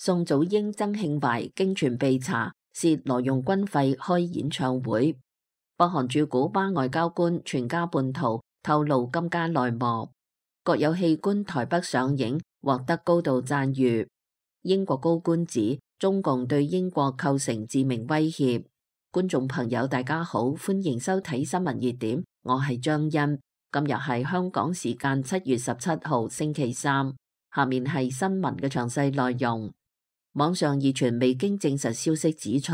宋祖英、曾慶懷經傳被查涉挪用軍費開演唱會。北韓駐古巴外交官全家叛逃透露金家內幕。國有戲官台北上映獲得高度讚譽。英國高官指中共對英國構成致命威脅。觀眾朋友大家好，歡迎收睇新聞熱點，我係張欣。今日係香港時間7月17號星期三，下面係新聞嘅詳細內容。網上熱傳未經證實消息指出，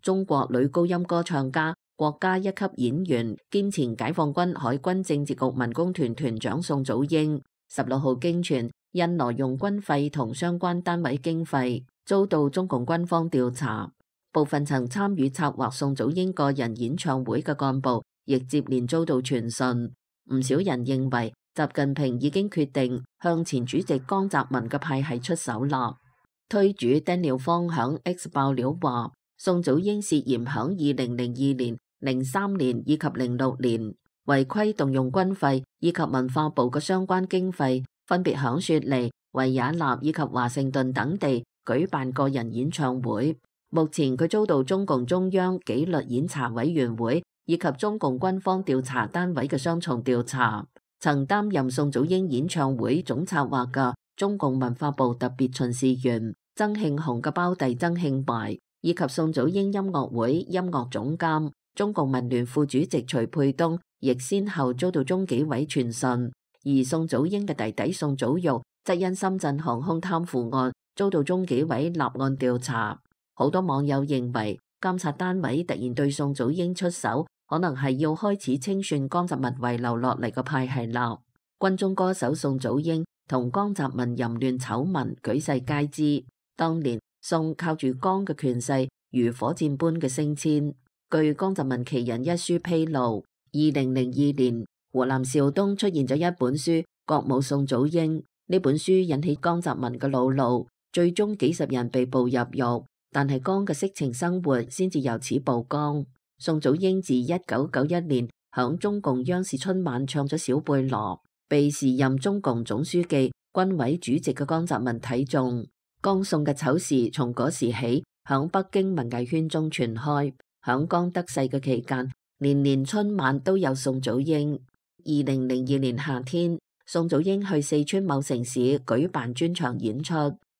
中國女高音歌唱家、國家一級演員兼前解放軍海軍政治局文工團團長宋祖英16號經傳因挪用軍費同相關單位經費，遭到中共軍方調查。部分曾參與策劃宋祖英個人演唱會嘅幹部，亦接連遭到傳訊。唔少人認為，習近平已經決定向前主席江澤民嘅派系出手啦。推主 Daniel 方響 X 爆料話，宋祖英涉嫌響2002年、03年以及06年違規動用軍費以及文化部嘅相關經費，分別響雪梨、維也納以及華盛頓等地舉辦個人演唱會。目前佢遭到中共中央紀律檢查委員會以及中共軍方調查單位嘅雙重調查。曾擔任宋祖英演唱會總策劃嘅中共文化部特別巡視員曾慶紅嘅胞弟曾慶懷，以及宋祖英音樂會音樂總監中共民聯副主席徐沛東，亦先後遭到中紀委傳訊。而宋祖英嘅弟弟宋祖育則因深圳航空貪腐案遭到中紀委立案調查。好多網友認為，監察單位突然對宋祖英出手，可能係要開始清算江澤民遺留落嚟嘅派系啦。軍中歌手宋祖英同江澤民淫亂醜聞舉世皆知。當年宋靠住江嘅權勢如火箭般嘅升遷。據江澤民奇人一書披露，2002年湖南邵東出現咗一本書《國母宋祖英》，呢本書引起江澤民嘅惱怒，最終幾十人被捕入獄，但係江嘅色情生活先至由此曝光。宋祖英自1991年響中共央視春晚唱咗小貝羅，被時任中共總書記、軍委主席嘅江澤民睇中。江宋嘅醜事從嗰時起響北京文藝圈中傳開。響江得勢嘅期間，年年春晚都有宋祖英。2002年夏天，宋祖英去四川某城市舉辦專場演出，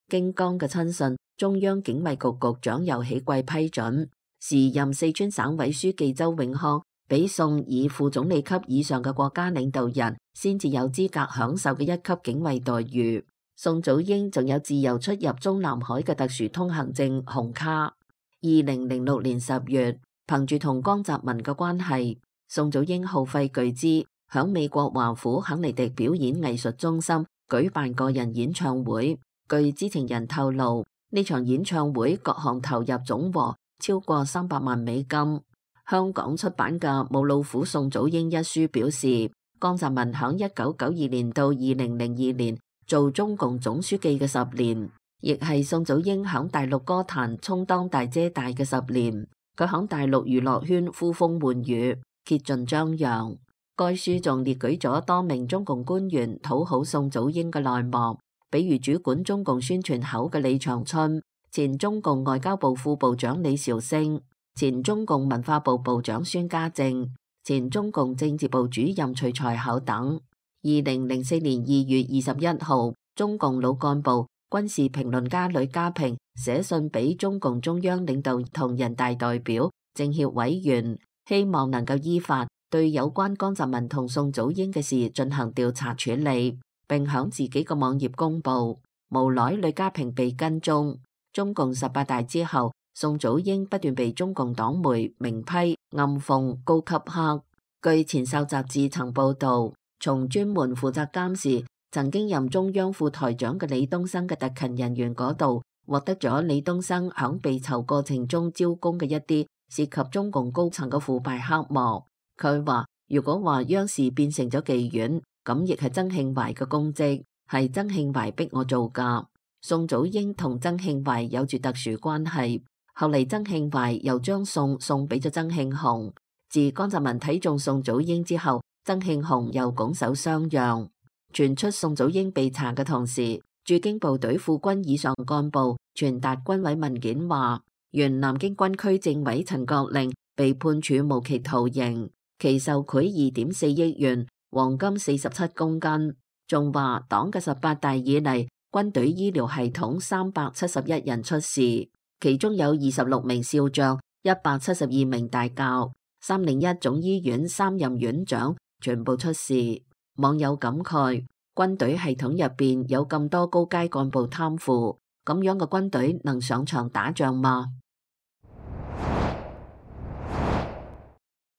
經江嘅親信中央警衛局局長游喜貴批准，時任四川省委書記周永康俾宋以副總理級以上嘅國家領導人先至有資格享受嘅一級警衛待遇。宋祖英仲有自由出入中南海嘅特殊通行證紅卡。2006年10月，憑住同江澤民嘅關係，宋祖英耗費巨資響美國華府肯尼迪表演藝術中心舉辦個人演唱會。據知情人透露，呢場演唱會各項投入總和超過300萬美金。香港出版嘅《母老虎宋祖英》一書表示，江澤民響1992年到2002年做中共總書記嘅10年，亦係宋祖英響大陸歌壇充當大姐大嘅10年。佢響大陸娛樂圈呼風喚雨，竭盡張揚。該書仲列舉咗多名中共官員討好宋祖英嘅內幕，比如主管中共宣傳口嘅李長春、前中共外交部副部長李兆星、前中共文化部部長孫家正、前中共政治部主任徐才厚等。2004年2月21號，中共老幹部、軍事評論家呂家平寫信俾中共中央領導同人大代表、政協委員，希望能夠依法對有關江澤民同宋祖英嘅事進行調查處理，並響自己嘅網頁公佈。無奈呂家平被跟蹤。中共18大之後，宋祖英不斷被中共黨媒明批、暗諷、高級黑。據前哨雜誌曾報導，從專門負責監視曾經任中央副台長嘅李東生嘅特勤人員嗰度，獲得咗李東生響被囚過程中招供嘅一啲涉及中共高層嘅腐敗黑幕。佢話如果話央視變成咗妓院，咁亦係曾慶懷嘅功績，係曾慶懷逼我做㗎。宋祖英同曾慶懷有住特殊關係，後嚟曾慶懷又將宋送俾咗曾慶紅。自江澤民睇中宋祖英之後，曾慶紅又拱手相讓。傳出宋祖英被查嘅同時，駐京部隊副軍以上幹部傳達軍委文件話，原南京軍區政委陳國令被判處無期徒刑，其受賄2.4億元，黃金47公斤。仲話黨嘅18大以嚟，軍隊醫療系統371人出事，其中有26名少將、172名大校，301總醫院3任院長全部出事。網友感慨，軍隊系統入邊有咁多高階幹部貪腐，咁樣嘅軍隊能上場打仗嗎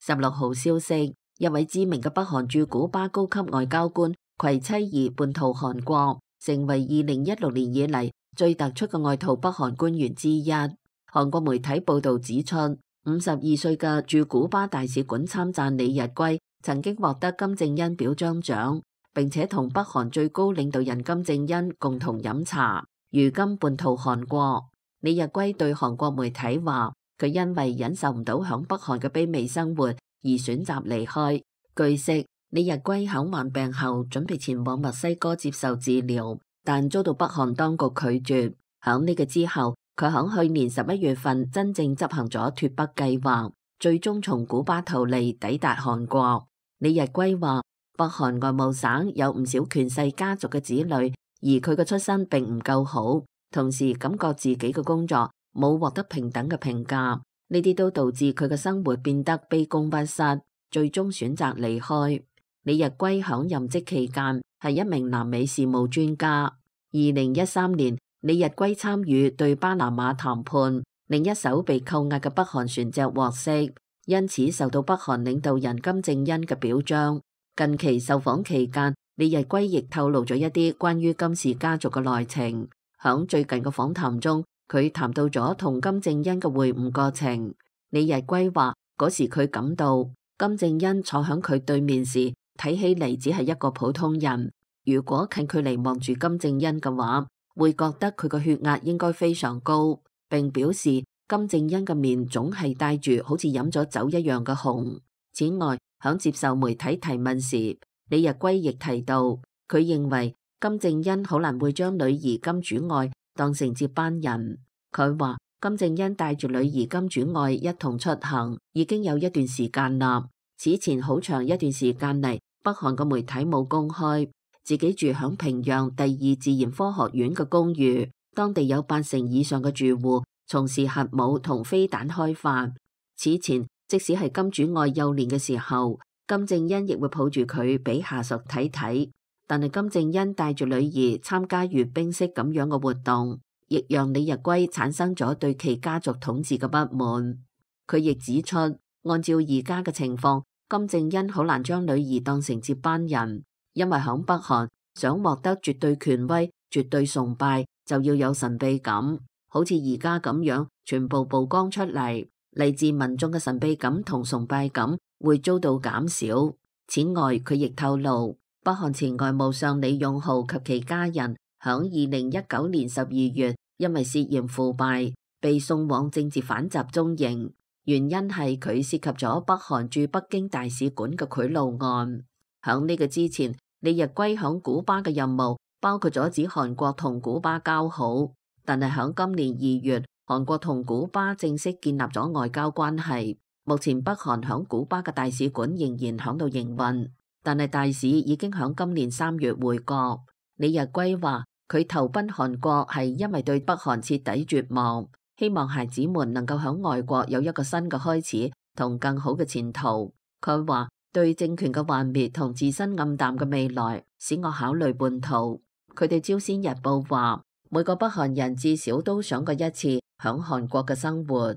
？16號消息，一位知名嘅北韓駐古巴高級外交官携妻兒叛逃韓國，成為2016年以嚟最突出嘅外逃北韓官員之一。韓國媒體報道指出，52歲嘅駐古巴大使館參贊李日圭曾經獲得金正恩表彰獎，並且同北韓最高領導人金正恩共同飲茶。如今叛逃韓國，李日圭對韓國媒體話，佢因為忍受唔到響北韓嘅卑微生活而選擇離開。據悉，李日圭響患病後準備前往墨西哥接受治療，但遭到北韓當局拒絕。響呢個之後，佢響去年11月份真正執行咗脫北計劃，最終從古巴逃離抵達韓國。李日圭話，北韓外務省有唔少權勢家族嘅子女，而佢嘅出身並唔夠好，同時感覺自己嘅工作冇獲得平等嘅評價，呢啲都導致佢嘅生活變得卑躬屈膝，最終選擇離開。李日圭響任職期間係一名南美事務專家。2013年，李日圭參與對巴拿馬談判，另一艘被扣押嘅北韓船隻獲釋，因此受到北韓領導人金正恩嘅表彰。近期受訪期間，李日圭亦透露咗一啲關於金氏家族嘅內情。響最近嘅訪談中，佢談到咗同金正恩嘅會晤過程。李日圭話，嗰時佢感到金正恩坐響佢對面時，睇起嚟只係一個普通人。如果近距離望住金正恩嘅話，會覺得佢個血壓應該非常高，並表示金正恩嘅面總係帶住好似飲咗酒一樣嘅紅。此外，響接受媒體提問時，李日圭亦提到，佢認為金正恩好難會將女兒金主愛當成接班人。佢話金正恩帶住女兒金主愛一同出行已經有一段時間啦。此前好長一段時間嚟，北韓嘅媒體冇公開自己住響平壤第2自然科學院嘅公寓，當地有80%以上嘅住戶從事核武同飛彈開發。此前，即使係金主愛幼年嘅時候，金正恩亦會抱住佢俾下屬睇睇。但係金正恩帶住女兒參加閱兵式咁樣嘅活動，亦讓李日圭產生咗對其家族統治嘅不滿。佢亦指出，按照而家嘅情況，金正恩好難將女兒當成接班人，因為響北韓想獲得絕對權威、絕對崇拜，就要有神秘感，好似而家咁樣全部曝光出嚟，嚟自民眾嘅神秘感同崇拜感會遭到減少。此外，佢亦透露，北韓前外務相李勇浩及其家人響2019年12月因為涉嫌腐敗被送往政治犯集中營，原因係佢涉及咗北韓駐北京大使館嘅賄賂案。響呢個之前，李日圭響古巴嘅任務包括咗指韓國同古巴交好，但係響今年2月，韓國同古巴正式建立咗外交關係。目前北韓響古巴嘅大使館仍然響度營運，但係大使已經響今年3月回國。李日圭話佢投奔韓國係因為對北韓徹底絕望，希望孩子們能夠響外國有一個新嘅開始同更好嘅前途。佢話對政權嘅幻滅同自身暗淡嘅未來使我考慮叛逃。佢對朝鮮日報話，每個北韓人至少都想過一次響韓國嘅生活。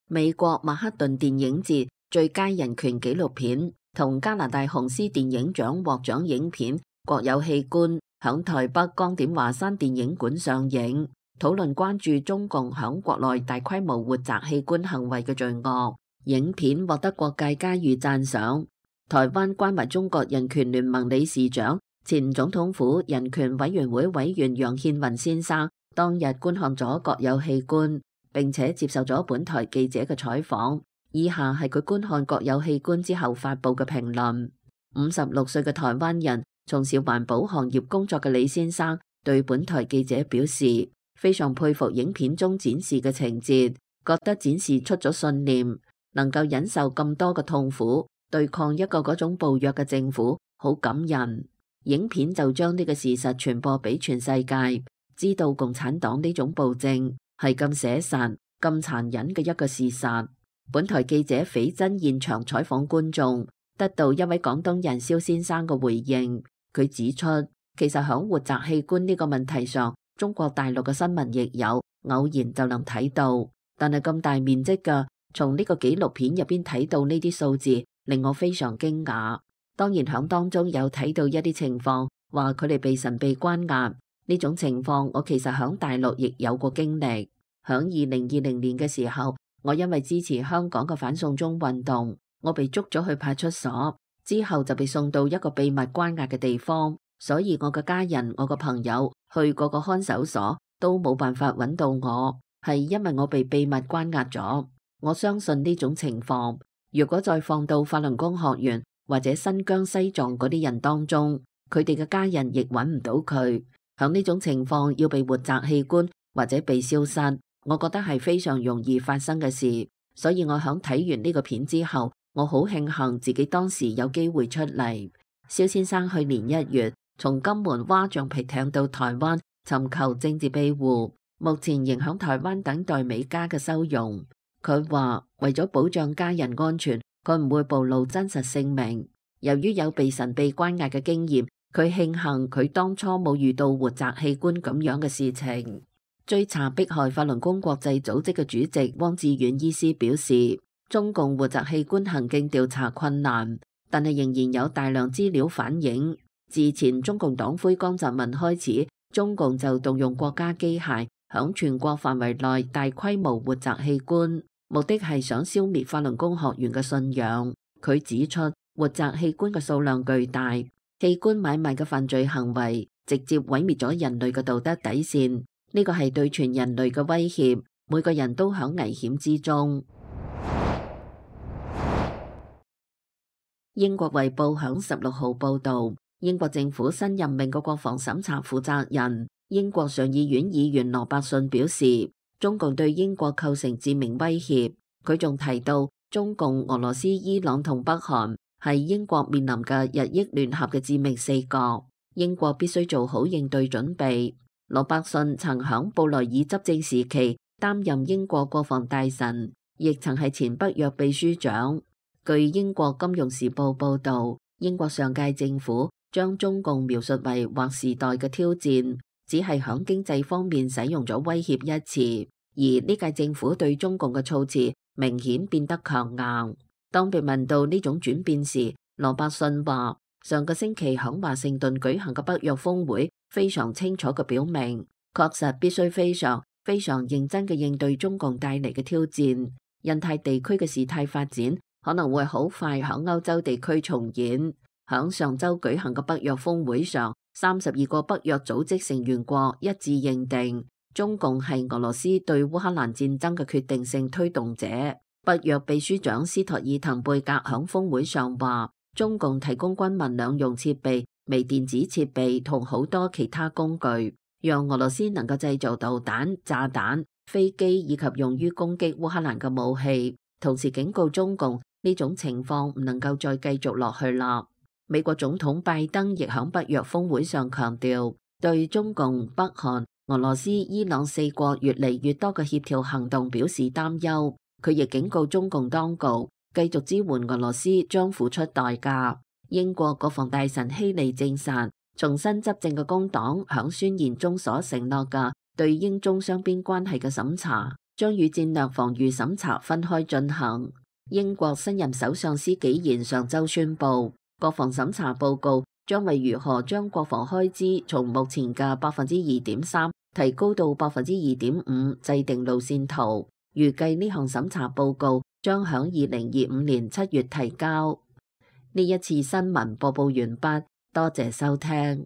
美國曼克頓電影節最佳人權紀錄片同加拿大紅獅電影獎獲獎影片《國有器官》響台北光點華山電影館上映，討論關注中共響國內大規模活摘器官行為嘅罪惡。影片獲得各界嘉譽讚賞。台灣關懷中國人權聯盟理事長、前總統府人權委員會委員楊憲雲先生當日觀看咗《國有器官》，並且接受咗本台記者嘅採訪。以下係佢觀看《國有器官》之後發布嘅評論。56歲嘅台灣人從事環保行業工作嘅李先生對本台記者表示，非常佩服影片中展示嘅情節，覺得展示出咗信念，能夠忍受咁多嘅痛苦，對抗一個嗰種暴虐嘅政府，好感人。影片就將呢個事實傳播俾全世界，知道共產黨呢種暴政係咁寫實、咁殘忍嘅一個事實。本台記者斐真現場採訪觀眾，得到一位廣東人蕭先生嘅回應。佢指出，其實響活摘器官呢個問題上，中國大陸嘅新聞亦有，偶然就能睇到。但係咁大面積嘅，從呢個紀錄片入邊睇到呢啲數字，令我非常驚訝。當然響當中有睇到一啲情況，話佢哋被神秘關押呢種情況，我其實響大陸亦有過經歷。響2020年嘅時候，我因為支持香港嘅反送中運動，我被捉咗去派出所，之後就被送到一個秘密關押嘅地方，所以我嘅家人、我嘅朋友去嗰個看守所都冇辦法揾到我，係因為我被秘密關押咗。我相信呢種情況，如果再放到法輪功學員或者新疆西藏嗰啲人當中，佢哋嘅家人亦揾唔到佢。響呢種情況要被活摘器官或者被消失，我覺得係非常容易發生嘅事。所以我響睇完呢個片之後，我好慶幸自己當時有機會出嚟。蕭先生去年1月從金門划橡皮艇到台灣尋求政治庇護，目前仍響台灣等待美加嘅收容。佢話為咗保障家人安全，佢唔會暴露真實姓名。由於有被神秘關押嘅經驗，佢慶幸佢當初冇遇到活摘器官咁樣嘅事情。追查迫害法輪功國際組織嘅主席汪志遠醫師表示，中共活摘器官行徑調查困難，但係仍然有大量資料反映，自前中共黨魁江澤民開始，中共就動用國家機械響全國範圍內大規模活摘器官，目的係想消滅法輪功學員嘅信仰。佢指出，活摘器官嘅數量巨大，器官買賣嘅犯罪行為直接毀滅咗人類嘅道德底線，呢個係對全人類嘅威脅，每個人都響危險之中。英國衛報響16號報道，英國政府新任命嘅國防審查負責人，英國上議院議員羅伯遜表示，中共對英國構成致命威脅。佢仲提到，中共、俄羅斯、伊朗同北韓係英國面臨嘅日益聯合嘅致命四角，英國必須做好應對準備。羅伯遜曾響布萊爾執政時期擔任英國國防大臣，亦曾係前北約秘書長。據英國金融時報報道，英國上屆政府將中共描述為劃時代嘅挑戰，只係響經濟方面使用咗威脅一詞，而呢屆政府對中共嘅措辭明顯變得強硬。當被問到呢種轉變時，羅伯遜話：上個星期響華盛頓舉行嘅北約峰會非常清楚嘅表明，確實必須非常認真嘅應對中共帶嚟嘅挑戰。印太地區嘅事態發展可能會好快響歐洲地區重演。響上周舉行嘅北約峰會上，32個北約組織成員國一致認定中共係俄羅斯對烏克蘭戰爭嘅決定性推動者。北約秘書長斯托爾滕貝格響峰會上話，中共提供軍民兩用設備、微電子設備同好多其他工具，讓俄羅斯能夠製造導彈、炸彈、飛機以及用於攻擊烏克蘭嘅武器。同時警告中共，呢種情況唔能夠再繼續落去啦。美國總統拜登亦響北約峰會上強調，對中共、北韓、俄羅斯、伊朗4國越嚟越多嘅協調行動表示擔憂。佢亦警告中共當局，繼續支援俄羅斯將付出代價。英國國防大臣希利證實，重新執政嘅工黨響宣言中所承諾嘅對英中雙邊關係嘅審查，將與戰略防禦審查分開進行。英國新任首相施紀賢上週宣布，國防審查報告將為如何將國防開支從目前嘅2.3%提高到2.5%制定路線圖。預計呢項審查報告將響2025年7月提交。呢一次新聞播報完畢，多謝收聽。